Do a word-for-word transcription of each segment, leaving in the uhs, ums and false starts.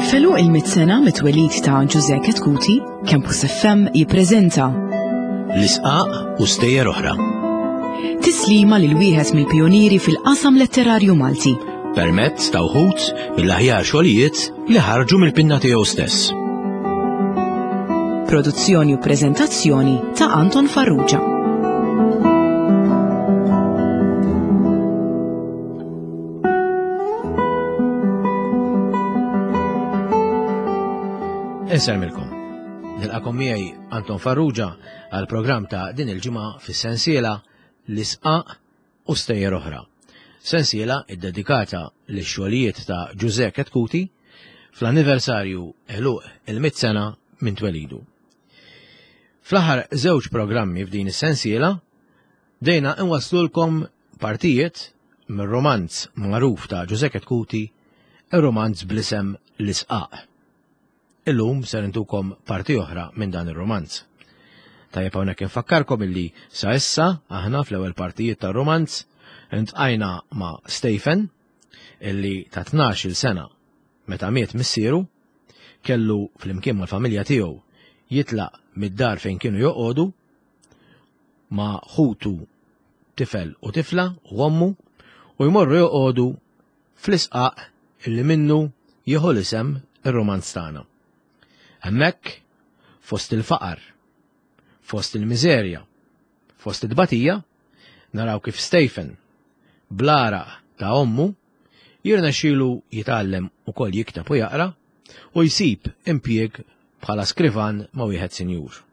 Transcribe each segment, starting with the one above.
F'għeluq il-mitt sena mit-twelid ta' Ġużè Chetcuti, Campus F M jippreżenta L-Isqaq u Stejjer Oħra. Tislima lil wieħed mill-pionieri fil-qasam letterarju Malti. Permezz ta' wħud mill-aħjar xogħlijiet li ħarġu mill-pinna tiegħu stess. Produzzjoni u preżentazzjoni ta' Anton Farrugia. Insellmilkom. Nilqagħkom miegħi Anton Farrugia għal programm ta' din il-ġimgħa fis-sensiela L-Isqaq u Stejjer Oħra. Sensiela iddedikata lix-xogħlijiet ta' Ġużè Chetcuti fl-anniversarju għeluq il-mitt sena minn twelidu. Fl-aħħar żewġ programmi f'din is-sensiela dejna nwaslulkom partijiet mir-romanz magħruf ta' Ġużè Chetcuti, ir-romanz bl-isem L-Isqaq. Illum ser intukom parti oħra minn dan ir-romanz. Tajjeb hawnhekk infakkarkom illi sa issa aħna fl-ewwel partijiet tar-romanz intqajna ma' Stephen illi ta' tnax-il sena meta miet missieru kellu flimkien mal-familja tiegħu jitlaq mid-dar fejn kienu joqogħdu ma' ħutu tifel u tifla u ommu u jmorru joqogħdu fl-isqaq illi minnu jieħu l-isem ir-romanz tagħna. Hemmhekk fost il-faqar, fost il-miżerja, fost it-tbatija, naraw kif Stephen bl-għaraq ta' ommu jirnexxielu jitgħallem ukoll jikteb u jaqra u jsib impjieg bħala skrivan ma' wieħed sinjur.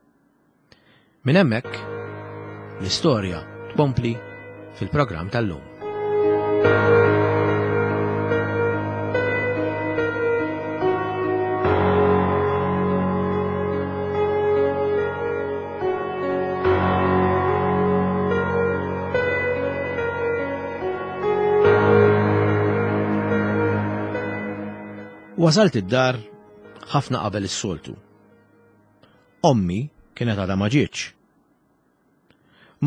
Minn hemmhekk l-istorja tkompli fil-programm tal-lum. Wasalt id-dar ħafna qabel is-soltu. Ommi kienet għadha ma ġietx.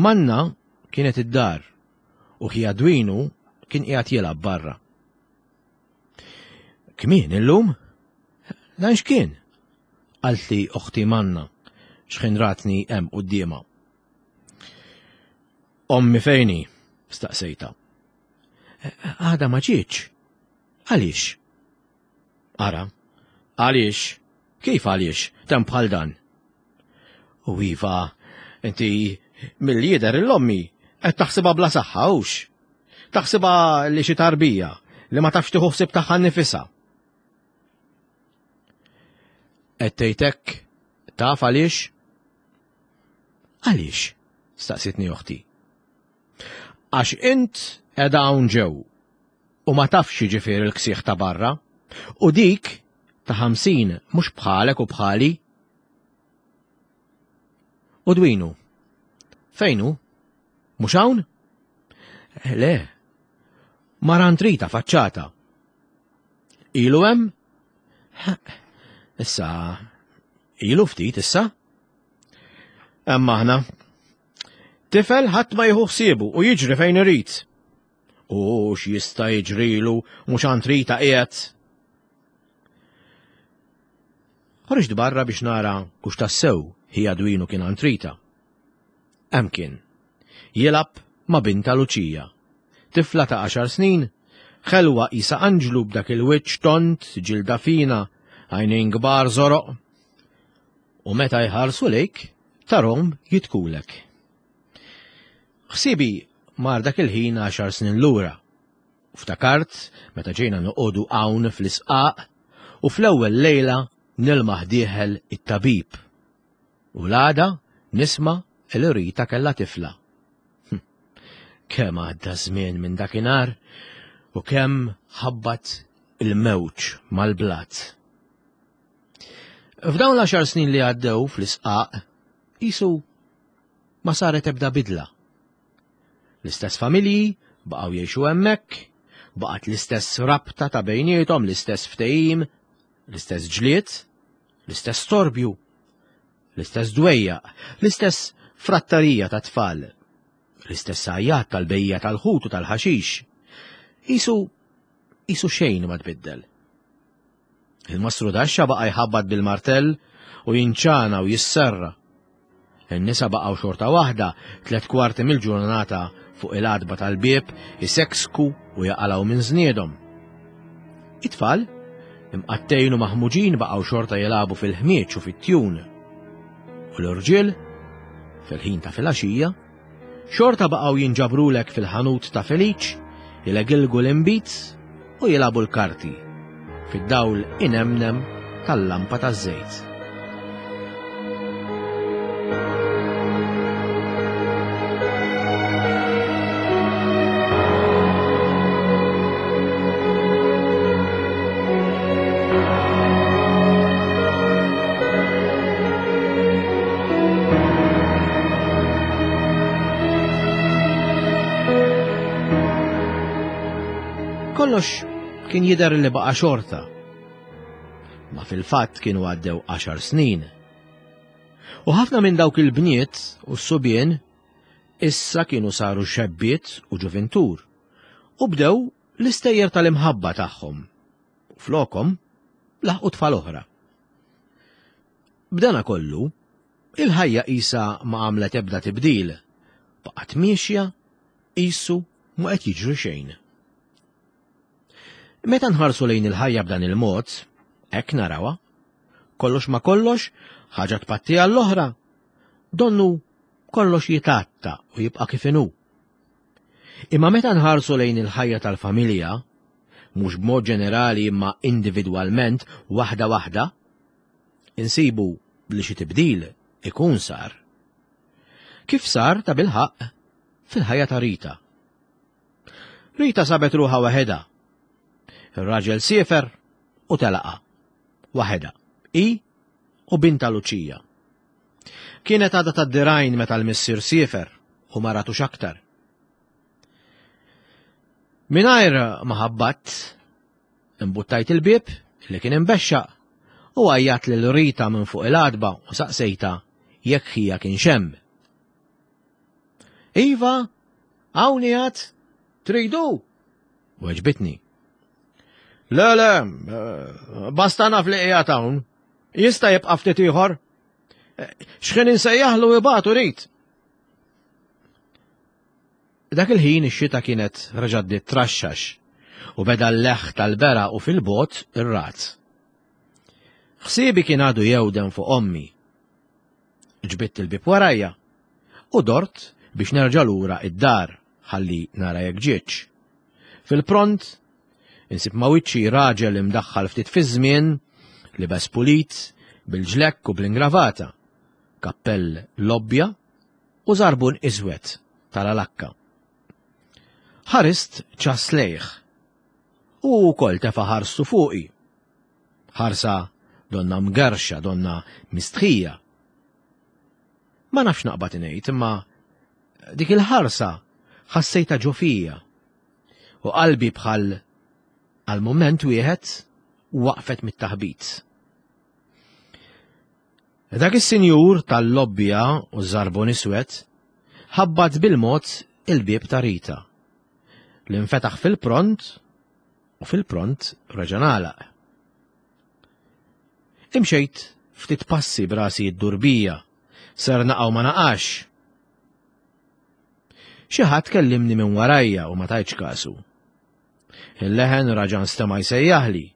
Manna kienet id-dar u ħija Dwinu kien qiegħed jilgħab barra. Kmien illum? Dan x'kien? Qaltli oħti Manna x'ħin ratni hemm quddiemha. Ommi fejni? Staqsejta. Għadha ma ġietx. Għaliex? Ara, għaliex? Kif għaliex? Tem bħal dan. U iva, inti mill-lider l-ommi qed taħsibha bla saħħa hux. Taħsibha li xi tarbija li ma tafx tieħu ħsieb tagħha nnifisha. Qed tgħid hekk taf għaliex? Għaliex? Staqsitni oħti. Għax int qiegħda hawn ġew u ma tafx jiġifieri l-ksieħ ta' barra. U dik ta' ħamsin mhux bħalek u bħali. U Dwinu, fejnu? Mhux hawn? Le, marantrita faċċata. Ilu hemm? Issa, ilu ftit issa. Hemm aħna. Tifel ħadd ma jieħu ħsiebu u jiġri fejn irid. U x'jista' jiġrilu mhux antrita qiegħed. Ħriġt barra biex nara hux tassew ħija Dwinu kien antrita. Hemm kien. Jilgħab ma' binta Luċija. Tifla ta' għaxar snin, ħelwa qisha anġlu b'dak il-wiċċ tont, ġilda fina, għajnejn kbar żoroq. U meta jħarsu lejk, tarhom jitkulek. Ħsibi mar dak il-ħin għaxar snin lura. U ftakart meta ġejna noqogħdu hawn fl-isqaq u fl-ewwel lejla nilmaħ dieħel it-tabib. U l-għada nisma' li Rita kellha tifla. Hm. Kemm għadda żmien minn dakinhar u kemm ħabbat il-mewġ mal-blat. F'dawn l-għaxar snin li għaddew fl-isqaq, qisu ma saret ebda bidla. L-istess familji baqgħu jgħixu hemmhekk, baqgħet l-istess rabta ta' bejniethom, l-istess ftehim, l-istess ġlied, l-istess torbju, l-istess dwejjaq, l-istess frattarija ta' tfal, l-istess għajjat tal-bejja tal-ħut u tal-ħaxix. Qisu, qisu xejn ma tbiddel. Il-mastru daxxa baqa' jħabbat bil-martell u jinċana u jisserra. In-nisa baqgħu xorta waħda tliet kwarti mill-ġurnata fuq il-għatba tal-bieb iseksku u jaqalgħu minn żniedhom. It-tfal, imqattejn u maħmuġin baqgħu xorta jilagħbu fil-ħmieġ u fit-tjun. U l-irġiel, fil-ħin ta' filgħaxija, xorta baqgħu jinġabrulek fil-ħanut ta' Feliċ, jilegilgu l-inbid u jilagħbu l-karti fid-dawl inemnem tal-lampa taż-żejt. Kollox kien jidher li baqa' xorta. Ma fil-fatt kienu għaddew għaxar snin. U ħafna minn dawk il-bniet u s-subien issa kienu saru xebbiet u ġuvintur u bdew l-istejjer tal-imħabba tagħhom. U flokhom laħqu tfal oħra. B'dana kollu, il-ħajja qisha ma għamlet ebda tibdil, baqgħet miexja qisu ma qed jiġri xejn. Meta nħarsu lejn il-ħajja b'dan il-mod, hekk narawha. Kollox ma kollox, ħaġa tpatti għall-oħra. Donnu kollox jitatta u jibqa' kif inhu. Imma meta nħarsu lejn il-ħajja tal-familja, mhux b'mod ġenerali imma individwalment waħda waħda, insibu li xi tibdil ikun sar. Kif sar ta' bilħaqq fil-ħajja ta' Rita. Rita sabet ruħha waħedha. Ir-raġel siefer u telaqa. Waħedha. I u binta Luċija. Kienet għadha tad-dirgħajn meta l-missier siefer u ma ratux aktar. Mingħajr ma ħabbatt, imbuttajt il-bieb li kien imbexxaq u għajjat lil Rita minn fuq il-għatba u saqsejta jekk ħija kien hemm. Iva, hawn qiegħed, tridu? Weġbitni. Le, le, basta naf li qiegħed hawn. Jista' jibqa' ftit ieħor. X'ħin insejjaħlu ibatu rid. Dak il-ħin ix-xita kienet reġgħet bdiet traxxax u beda l-leħ tal-bera u fil-bot ir-rat. Ħsiebi kien għadu jewden fuq ommi. Ġbitt il-bieb warajja u dort biex nerġa' lura id-dar ħalli nara jekk ġietx. Fil-pront insib ma' wiċċi raġel imdaħħal ftit fiż-żmien, libes pulit, bil-ġlekk u bl-ingravata, kappell lobbja u żarbun iswed tal-alakka. Ħarist ċas lejh u wkoll tefa' ħarstu fuqi. Ħarsa donna mgerxa, donna mistħija. Ma nafx naqbad ngħid, imma dik il-ħarsa ħassejta ġo fija u qalbi bħal għal mument wieħed waqfet mit-taħbit. Dak is-sinjur tal-lobbja u żarbun iswed ħabbat bil-mod il-bieb ta' Rita li nfetaħ fil-pront u fil-pront reġa' ngħalaq. Imxejt ftit passi brasi d-durbija, ser naqgħu ma naqax. Xi ħadd kellimni minn warajja u ma tajtx kasu. Il-leħen raġa' nstema' jsejjaħli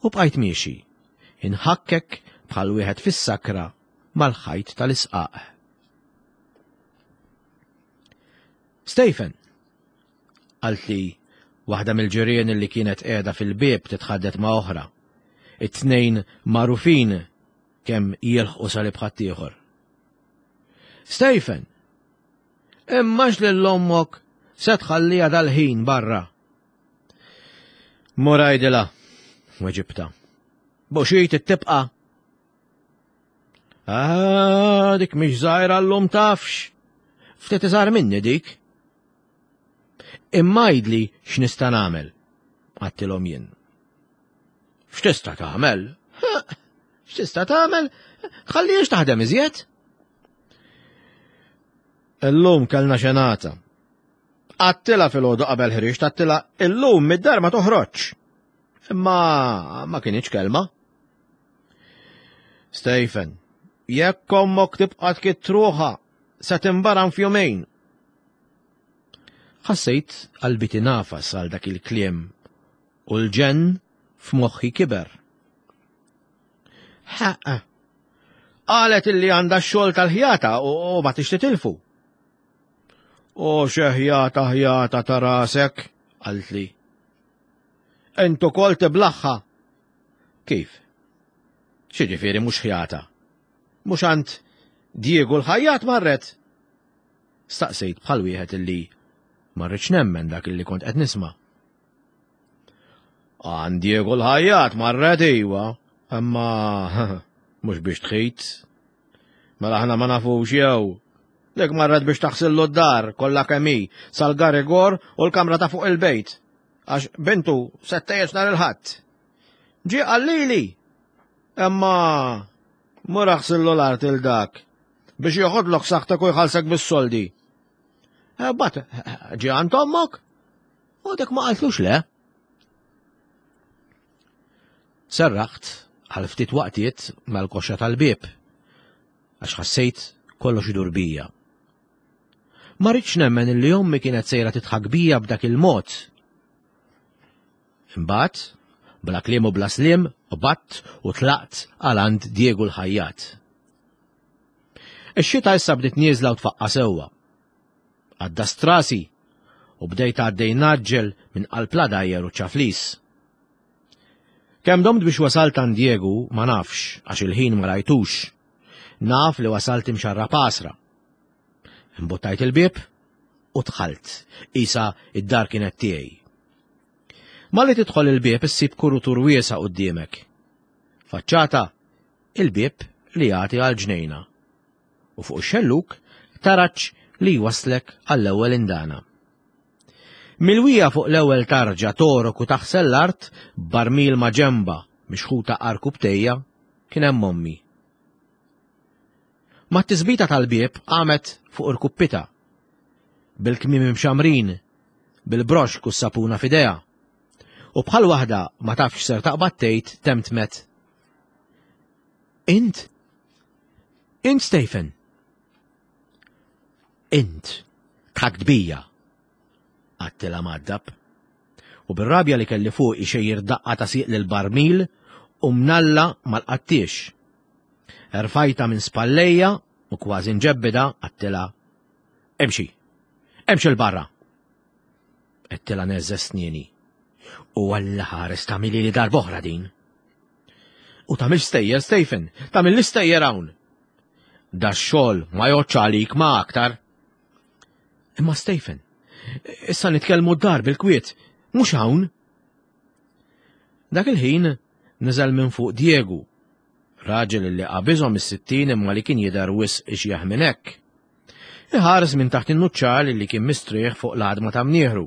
u bqajt miexi, inħakkek bħal wieħed fis-sakra mal-ħajt tal-isqaq. Stephen, qaltli waħda mill-ġirien li kienet qiegħda fil-bieb titħaddet ma' oħra. It-tnejn magħrufin kemm jilħqu salib ħaddieħor. Stephen, immax lil ommok se tħallija dal-ħin barra. Mur għidilha, weġibta. Buxit tibqa. Ah, dik mhix żgħira llum tafx. Ftit iżgħar minni dik. Imma għidli x'nista' nagħmel, għattilhom jien. X'tista' tagħmel? X'tista' tagħmel? Tħallihiex taħdem iżjed? Illum kellna xenata. Għattilha filgħodu qabel ħriġt, għattilha illum mid-dar ma toħroġx. Imma ma kinitx kelma. Stephen, jekk ommok tibqa' tkidd ruħha, se timbaram f'jumejn. Ħassejt qalbi tinafas għal dak il-kliem u l-ġenn f'moħħi kiber. Ħaqqa. Qalet illi għandha x-xogħol tal-ħjata u ma tix titilfu. U xi ħjata ħjata ta' rasek, qaltli. Int ukoll tiblaħħa. Kif? X'jiġifieri mhux ħjata? Mhux għand Diego l-ħajjat marret? Staqsejt bħal wieħed illi ma rridx nemmen dak illi kont qed nisma'. Għand Diego l-ħajjat marret iwa, imma mhux biex tħit. Mela aħna ma nafux jew. Dik marret biex taħsillu d-dar kollha kemm hi sal-garigor u l-kamra ta' fuq il-bejt. Għax bintu se ttejjeġ nhar il-Ħadd. Ġie qallili. Imma mur aħsillu l-art il dak biex joħodlok saħtek u jħallsek bis-soldi. Eh, bat, ġie għand ommok? U dik ma qaltlux le. Serraħt għal ftit waqtiet mal-koxxa tal-bieb, għax ħassejt kollox idur bija. Ma rridx nemmen illi ommi kienet sejra tidħak bija b'dak il-mod. Imbagħad, bla kliem u bla sliem, qbadt u tlaqt għal għand Diego l-ħajjat. Ix-xita issa bdiet nieżla u tfaqqa sewwa. Għaddast rasi u bdejt għaddej naġġel minn qalb l-għadajjar u ċaflis. Kemm domt biex wasalt għand Diego ma nafx għax il-ħin ma rajtux. Naf li wasalt imxarra pasra. Imbuttajt il-bieb u dħalt, isa id-dar kienet tiegħi. Malli tidħol il-bieb issib kurutur wiesa' quddiemek. Faċċata il-bieb li jagħti għal ġnejna. U fuq ix-xelluk taraġ li jwaslek għall-ewwel indana. Milwija fuq l-ewwel tarġa torok u taħsel l-art barmil ma' ġemba mixħuta arku btejja kien hemm ommi. Mat-tisbita tal-bieb qamet fuq irkuppita, bil-kmiem imxamrin, bil-broxk u s-sapuna f'idejha. U bħal waħda ma tafx ser taqbad tgħid temtmet. Int? Int Stephen? Int, tħakt bija, għedtilha mgħaddab. U bir-rabja li kelli fuq xejjer daqqa ta' sieq lil barmil u mnalla mal-qattiex. Erfajta minn spallejja u kważi nġebbida għedtilha. Emxi, emxi 'l barra. Għedtilha neżża' snieni. U Alla ħares tagħmilli li darb'oħra din. U tagħmel stejjer, Stephen, tagħmel l-istejjer hawn. Da xogħol ma jgħoddx għalik ma aktar. Imma Stephen, issa nitkellmu d-dar bil-kwiet, mhux hawn. Dak il-ħin niżel minn fuq Diego, raġel li qabiżhom is-sittin imma li kien jidher wisq ixjeħ minn hekk. Iħares minn taħt in-nuċċal li kien mistrieħ fuq l-għadma ta' mnieħru.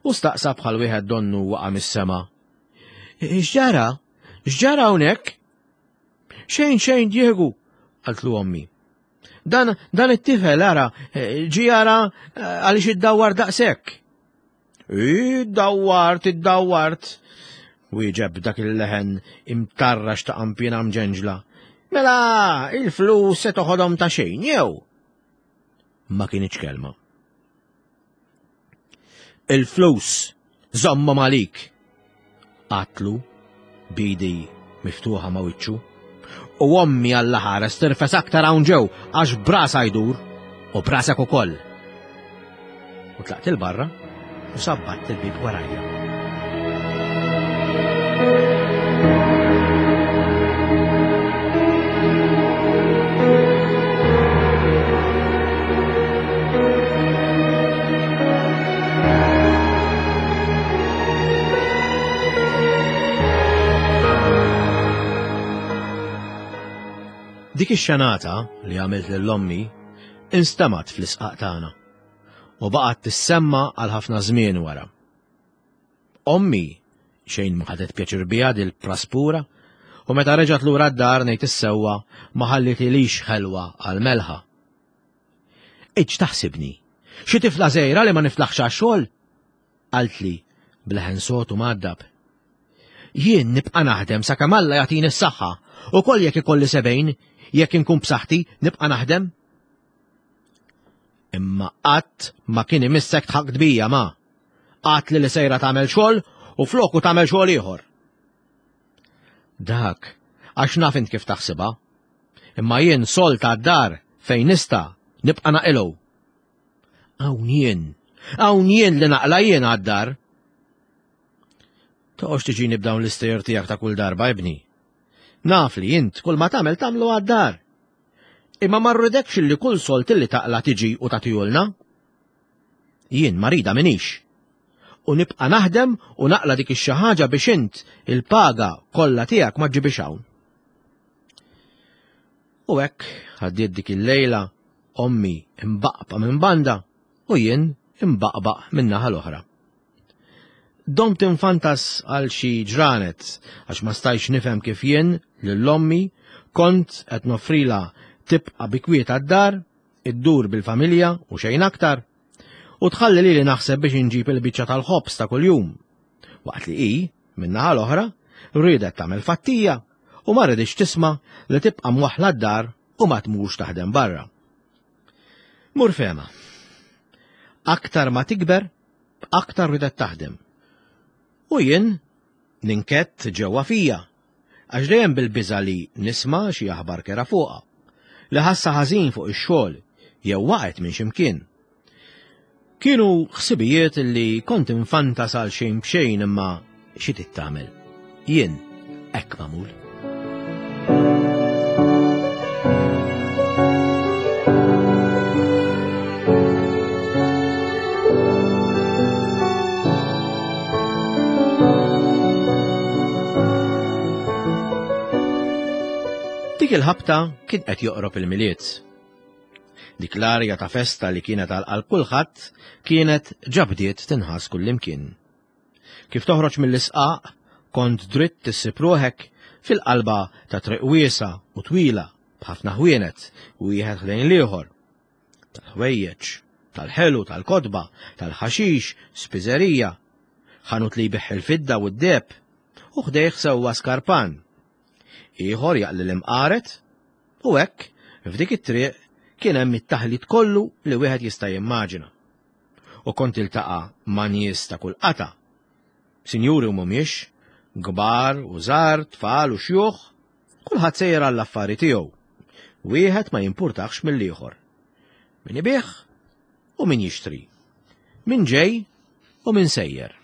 U staqsa bħal wieħed donnu waqa' mis-sema. X'ġara? X'ġara hawnhekk? Xejn xejn Diego, qaltlu ommi. Dan, dan it-tifel ara, ġie jara għaliex iddawwar daqshekk. Iddawwart, iddawwart, wieġeb dak il-leħen imtarrax ta' qampina mġenġla. Mela, il-flus se toħodhom ta' xejn, jew? Ma kinitx kelma. Il-flus żommhom għalik. Għedtlu b'idi miftuħa ma' wiċċu. U ommi Alla ħares tirfes aktar hawn ġew għax brasa jdur u brasek ukoll. U tlaqt 'il barra u sabbatt il-bib warajja. Dik ix-xenata li għamilt lil ommi instemgħet fl-isqaq tagħna u baqgħet tissemma għal ħafna żmien wara. Ommi xejn ma ħadet pjaċir biha dil-praspura u meta reġgħet lura d-dar ngħid is-sewwa ma ħallitilix ħelwa għal melħa. Iġ taħsibni, xi tifla żgħira li ma niflaħx għax-xogħol? Qaltli bleħen sod u mgħaddab. Jien nibqa' naħdem sakemm Alla jagħtini s-saħħa, ukoll jekk ikolli sebgħin, jekk inkun b'saħħti nibqa' naħdem. Imma qatt ma kien imissek tħaqt bija ma. Qatt li li sejra tagħmel xogħol u floku tagħmel xogħol ieħor. Dak, għax naf int kif taħsibha. Imma jien sol ta' dar fejn nista' nibqa' naqilgħu. Hawn jien, hawn jien li naqla' jien għad-dar. Toqgħodx tiġini b'dawn l-istejjer tiegħek ta' kull darba, ibni. Naf li int kull ma tagħmel tagħmlu għad-dar. Imma ma rridekx li kull solt li taqla' tiġi u tagħtihulna. Jien marida minix. U nibqa' naħdem u naqla' dik ix-xi ħaġa biex int il-paga kollha tiegħek ma ġġibix hawn. U hekk għaddiet dik il-lejla ommi imbaqba minn banda u jien imbaqbaq minn naħa l-oħra. Domt infantas għal xi ġranet għax ma stajtx nifhem kif jien lil ommi kont qed noffrilha tibqa' bi kwiet għad-dar, iddur bil-familja u xejn aktar, u tħalli lili naħseb biex inġib il-biċċa tal-ħobż ta' kuljum. Waqt li hi, min-naħa l-oħra, riedet tagħmel fattija u ma riditx tisma' li tibqa' mwaħħla d-dar u ma tmurx taħdem barra. Mur fehma. Aktar ma tikber, aktar ridet taħdem. U jien ninkett ġewwa fija, għax dejjem bil-biża' li nisma' xi aħbar kera fuqha, li ħassa ħażin fuq ix-xogħol jew waqgħet minn x'imkien. Kienu ħsibijiet li kont infantas għal xejn b'xejn imma xi trid tagħmel. Jien hekk magħmul. Dik il-ħabta kien qed joqrob il-Milied. Dik l-arja ta' festa li kienet għal qalb kulħadd kienet ġabdiet tinħass kullimkien. Kif toħroġ mill-isqaq, kont dritt issib ruħek fil-qalba ta' triq wiesgħa u twila b'ħafna ħwienet wieħed ħdejn l-ieħor. Tal-ħwejjeġ, tal-ħelu, tal-kotba, tal-ħaxix, spiżerija, ħanut li jbigħ il-fidda u d-deheb, u ħdejh sewwa skarpan. Ieħor jaqli l-imqaret, u hekk f'dik it-triq kien hemm it-taħlit kollu li wieħed jista' jimmaġina. U kont iltaqa' ma' nies ta' kull qata'. Sinjuri u mhumiex, kbar u żgħar, tfal u xjuħ, kulħadd sejjer għall-affari tiegħu. Wieħed ma jimpurtax mill-ieħor. Min ibigħ u min jixtri. Min ġej u min sejjer.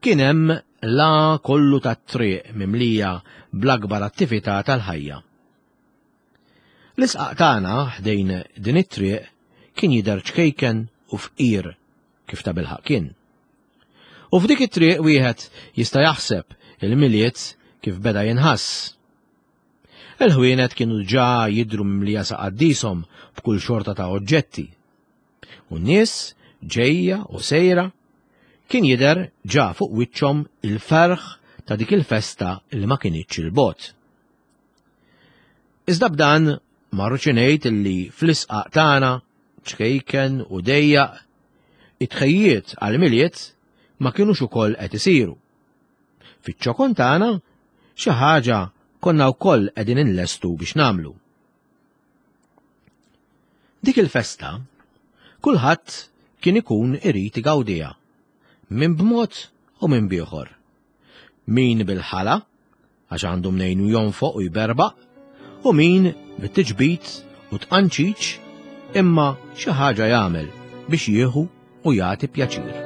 Kien hemm la kollu tat-triq mimlija bl-akbar attività tal-ħajja. L-isqaq tagħna ħdejn din it-triq kien jidher ċkejken u fqir kif ta' bilħaq kien. U f'dik it-triq wieħed jista' jaħseb il-Milied kif beda jinħass. Il-ħwienet kienu ġa jidhru mimlija sa qaddishom b'kull xorta ta' oġġetti. U n-nies ġejja u sejra kien jidher ġa fuq wiċċhom il-ferħ ta' dik il-festa li ma kinitx il-bogħod. Iżda b'dan ma rridx ngħid illi fl-isqaq tagħna ċkejken u dejjaq it-tħejjiet għall-Milied ma kinux ukoll qed isiru. Fiċ-ċokon tagħna xi ħaġa konna wkoll qegħdin inlestu biex nagħmlu. Dik il-festa kulħadd kien ikun irid igawdiha, min b'mod u min b'ieħor. Min bil-ħala, għax għandu mnejn jonfoq u jberbaq, u min bit-tiġbid u tqanċiċ, imma xi ħaġa jagħmel biex jieħu u jagħti pjaċir.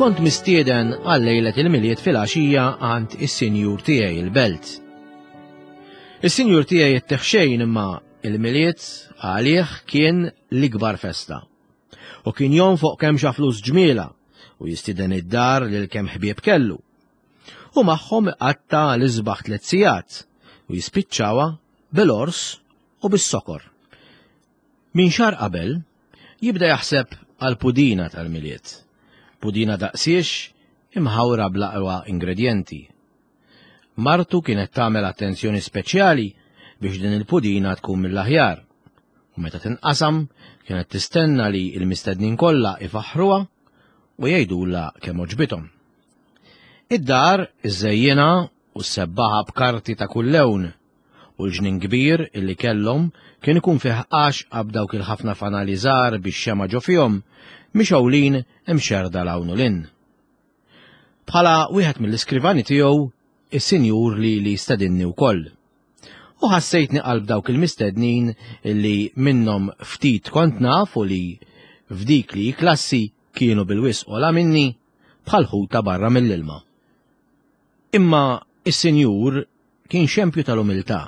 Kont mistieden għal lejlet il-Milied fil-għaxija għand is-sinjur tiegħi il-belt. Is-sinjur tiegħi jittieħ xejn imma il-Milied għalih kien l-ikbar festa. U kien jonfoq kemm xa flus ġmiela u jistieden id-dar lil kemm ħbieb kellu. U magħhom iqatta' l-isbaħ tliet sigħat u jispiċċawha bil-ors u bis-sokor. Min xahar qabel jibda jaħseb għal pudina tal-Milied. Pudina daqsiex imħawra bl-aqwa ingredjenti. Martu kienet tagħmel attenzjoni speċjali biex din il-pudina tkun mill-aħjar. U meta tinqasam kienet tistenna li l-mistednin kollha ifaħħruha u jgħidulha kemm għoġbithom. Id-dar iżejjinha u sebbaħha b'karti ta' kull lewn u l-ġnien kbir illi kellhom kien ikun fih għaxqa b'dawk il-ħafna fanali żgħar bix-xemgħa ġo fihom mixgħulin imxerrda 'l hawn u 'l hinn. Bħala wieħed mill-iskrivani tiegħu, is-sinjur lili stedinni wkoll. U ħassejtni qalb dawk il-mistednin illi minnhom ftit kont naf u li f'dik li klassi kienu bil-wisq ogħla minni bħal ħuta barra mill-ilma. Imma is-sinjur kien xempju tal-umiltà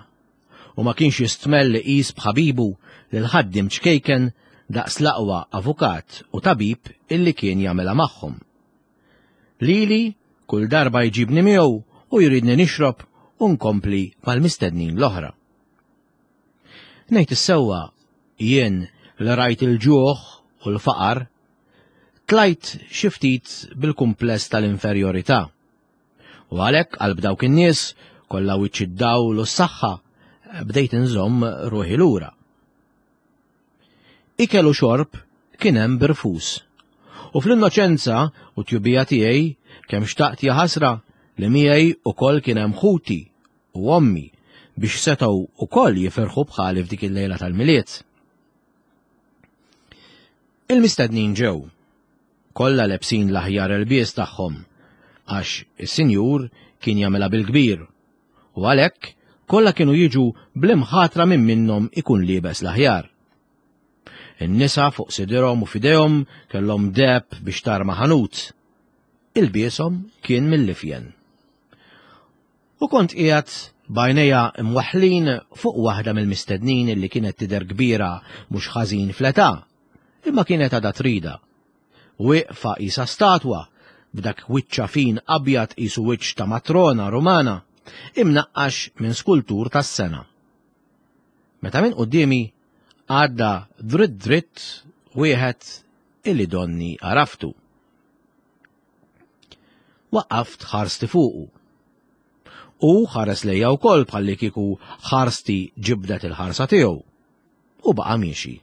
u ma kienx jistmell li jqis b'ħabibu lil ħaddiem ċkejken daqs l-aqwa avukat u tabib illi kien jagħmilha magħhom. Lili kull darba jġibni miegħu u jridni nixrob u nkompli mal-mistednin l-oħra. Ngħid is-sewwa jien li rajt il-ġuħ u l-faqar, tlajt xi ftit bil-kumpless tal-inferjorità. U għalhekk qalb dawk in-nies kollha wiċċ id-dawl u s-saħħa bdejt inżomm ruħi lura. Ikel u xorb kien hemm b'irfus. U fl-innoċenza u tjubija tiegħi kemm xtaqt jaħasra li miegħi ukoll kien hemm ħuti u ommi biex setgħu ukoll jifirħu bħali f'dik il-lejla tal-Milied. Il-mistednin ġew, kollha lebsin l-aħjar ilbies tagħhom, għax is-sinjur kien jagħmilha bil-kbir, u għalhekk kollha kienu jiġu bl-imħatra minn minnhom ikun liebes l-aħjar. In-nisa fuq sidirhom u f'idejhom kellhom deheb biex tarma ħanut. Ilbieshom kien mill-ifjen. U kont qiegħed b'għajnejja imwaħħlin fuq waħda mill-mistednin illi kienet tidher kbira mhux ħażin fl-età, imma kienet għadha trida. Wieqfa qisha statwa, b'dak wiċċha fin abjad qisu wiċċ ta' matrona Rumana, imnaqqax minn skultur tas-sengħa. Meta minn quddiemi għadda dritt dritt wieħed illi donni għaraftu. Waqqaft ħarsti fuqu. U ħares lejja wkoll bħalli kieku ħarsti ġibdet il-ħarsa tiegħu. U baqa' miexi.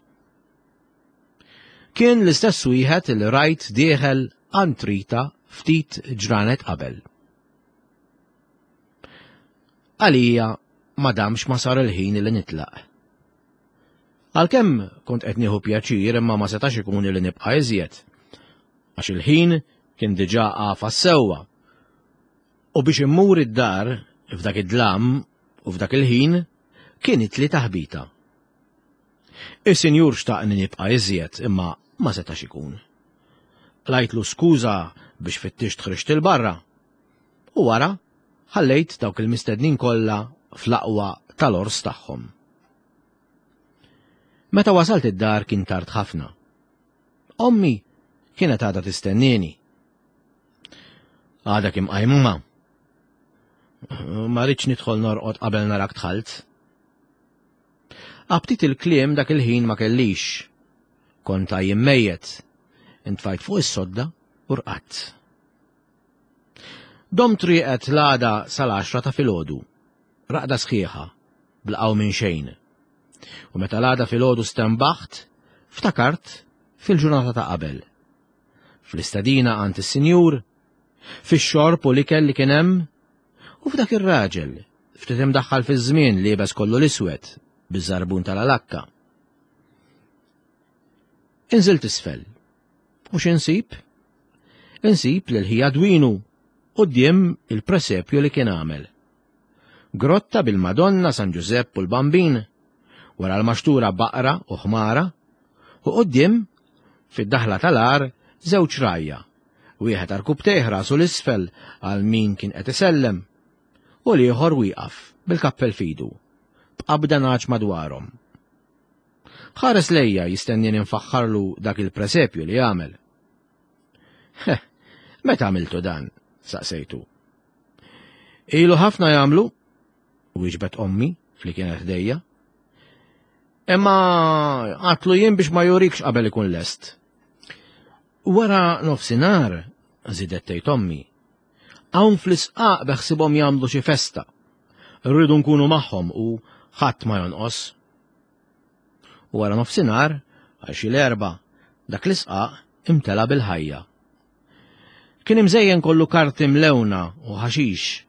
Kien l-istess wieħed li rajt dieħel għand Rita ftit ġranet qabel. Għalija ma damx ma sar il-ħin li nitlaq. Għalkemm kont qed nieħu pjaċir imma ma setax ikun li nibqa' iżjed. Għax il-ħin kien diġà għafas sewwa. U biex immur id-dar f'dak id-dlam u f'dak il-ħin kienet li taħbita. Is-sinjur xtaqni nibqa' iżjed imma ma setax ikun. Qlajtlu skuża biex fittixt ħriġt 'il barra. U wara ħallejt dawk il-mistednin kollha fl-aqwa tal-ors tagħhom. Meta wasalt id-dar kien tard ħafna. Ommi kienet għadha tistennieni. Għadha kemm qajmuma. Ma rridx nidħol norqod qabel narak dħalt. Aptit il-kliem dak il-ħin ma kellix. Kont għajjien mejjet. Intfajt fuq is-sodda u rqadt. Domt rieqed l-għada sal-għaxra ta' filgħodu. Raqda sħiħa, bla qawmien xejn. U meta l-għada filgħodu stenbaħt, ftakart fil-ġurnata ta' qabel. Fl-istadina għand is-sinjur, fix-xorb u l-ikel li kien hemm, u f'dak ir-raġel, ftit imdaħħal fiż-żmien liebes kollu l-iswed, biż-żarbun tal-alakka. Inżilt isfel. U x'insib? Insib lil ħija Dwinu quddiem il-presepju li kien għamel. Grotta bil-Madonna, San Ġużepp u l-Bambin, wara l-maxtura baqra u ħmara, u quddiem fid-daħla tal-għar żewġ rgħajja, wieħed għarkupptejh rasu 'l isfel għal min kien qed isellem, u l-ieħor wieqaf bil-kappell f'idu, b'qabda nagħaġ madwarhom. Ħares lejja jistennieni nfaħħarlu dak il-presepju li għamel. Heh, meta għamiltu dan? Saqsejtu. Ilu ħafna jagħmlu, wieġbet ommi li kienet ħdejja. Imma għatlu jien biex ma jurikx qabel ikun lest. Wara nofsinhar, żidet tgħid ommi, hawn fl-isqaq beħsibhom jagħmlu xi festa. Rridu nkunu magħhom u ħadd ma jonqos. Wara nofsinhar, għal xi l-erba, dak l-isqaq imtela bil-ħajja. Kien imżejjen kollu karti mlewna u ħaxix.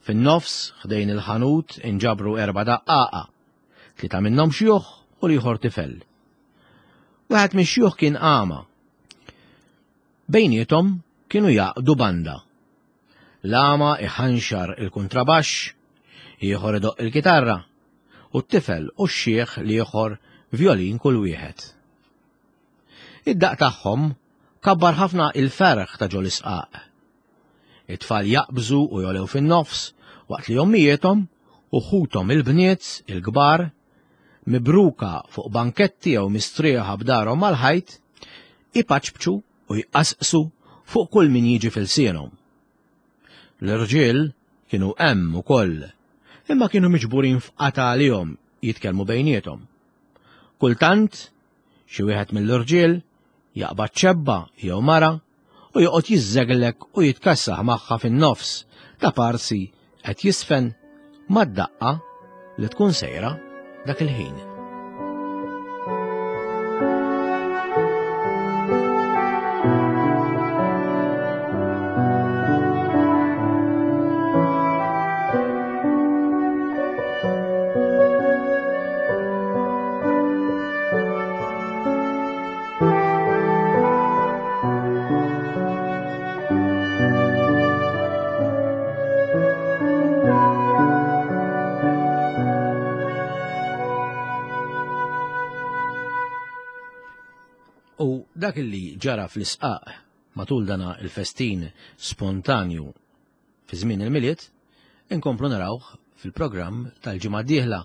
Fin-nofs ħdejn il-ħanut inġabru erba' daqqaqa, tlieta minnhom xjuħ u l-ieħor tifel. Wieħed mix-xjuħ kien għama. Bejniethom kienu jaqdu banda. L-għama iħanxar il-kuntrabaxx, ieħor idoqq il-kitarra, u t-tifel u x-xiħ l-ieħor vjolin kull wieħed. Id-daqq tagħhom kabbar ħafna il-ferħ ta' ġol-isqaq. It-tfal jaqbżu u jolew fin-nofs waqt li ommijiethom u ħuthom il-bniet il-kbar mibruka fuq banketti jew mistrieħa b'darhom mal-ħajt ipaċpċu u jqasqsu fuq kull min jiġi fil-sienhom. L-irġiel kienu hemm ukoll, imma kienu miġburin f'qata għalihom jitkellmu bejniethom. Kultant, xi wieħed mill-irġiel jaqbad ċebba jew mara u joqgħod jiżżeglek u jitkassaħ magħha fin-nofs ta' parsi qed jisfen mad-daqqa li tkun sejra dak il-ħin. U dak li ġara fl-isqaq matul dana il-festin spontanju fi żmien il-Milied, inkomplu narawh fil-programm tal-ġimgħa d-dieħla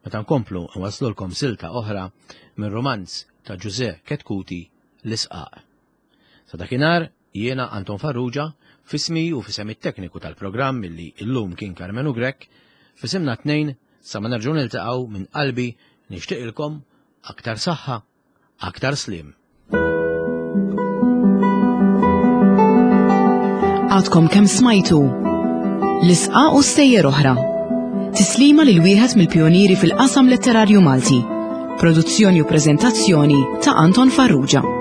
meta nkomplu nwaslulkom silta oħra minn romanz ta' Ġużè Ketkuti l-Isqaq. Sa dakinhar jiena Anton Farrugia f'ismi u f'isem it-tekniku tal-programm illi illum kien Karmenu Grech, f'isimna tnejn sa ma nerġgħu niltaqgħu minn qalbi nixtieqilkom aktar saħħa, aktar slim. Għadkom kemm smajtu L-isqaq u stejjer oħra. Tislima lil wieħed mill-pjonieri fil-qasam letterarju Malti. Produzzjoni u preżentazzjoni ta' Anton Farrugia.